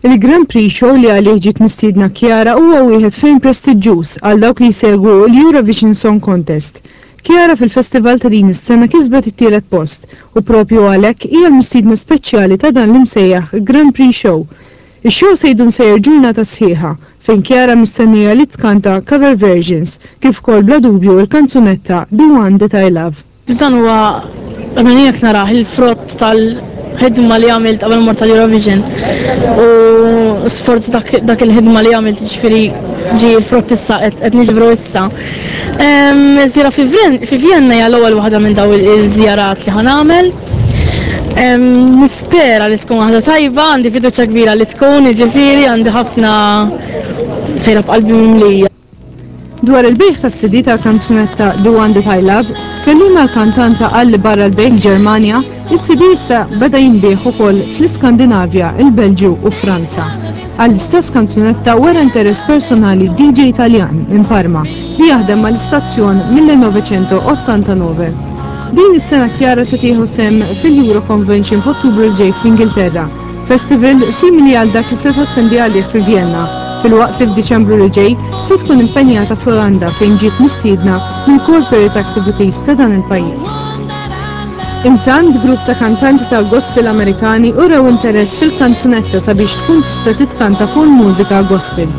Il-Grand Prix Show li għalih ġiet mistiedna Chiara huwa wieħed ferm prestiġġuż għal dawk li jsegwu l-Eurovision Song Contest. Chiara fil-festival ta' din is-sena kisbet it-tielet post u propju għalhekk hija l-mistiedna speċjali ta' dan l-imsejjaħ Grand Prix Show. Ix-show se jdum sejjer ġurnata sħiħa fejn Chiara mistennija li tkanta cover versions kif ukoll bla dubju l-kanzunetta The One That I Love. Dan huwa, almenu jien hekk narah, il-frott tal-ħidma li għamilt qabel mort tal-Eurovision. U sforz dak, dak il-ħidma li għamilt ġifieri ġie l-frott issa qed niġbru issa. Żjara fi Vienna hija l-ewwel waħda minn daw iż-żjarat li ħa nagħmel. Nispera li tkun waħda tajba, għandi fiduċja kbira li tkun, jiġifieri għandi ħafna sejra b'qalbi mimlija. Dwar il-bejgħ tas-CD tal-kanzunetta The One That I Love, kelliem għall-kantanta qal li barra l-bejgħ l-Ġermanja, is-CD issa beda jinbiegħ ukoll fl-Iskandinavja, il-Belġju u Franza. Għall-istess kanzunetta wera interess personali DJ Taljan minn Parma li jaħdem mal-istazzjon mill-1989. Din is-sena Chiara se tieħu sehem fil-Euro Convention f'Ottubru l-ġej fl-Ingilterra. Festival simili għal dak li se tattendi għalih fi Vjenna, filwaqt li f'Diċembru li ġej se tkun impenjata fl-Olanda fejn ġiet mistiedna mill-Corporate Activities ta' dan il-pajjiż. Intant, grupp ta' kantanti tal-gospel Amerikani urew interess fil-kanzunetta sabiex tkun tista' titkanta fuq il-mużika gospel.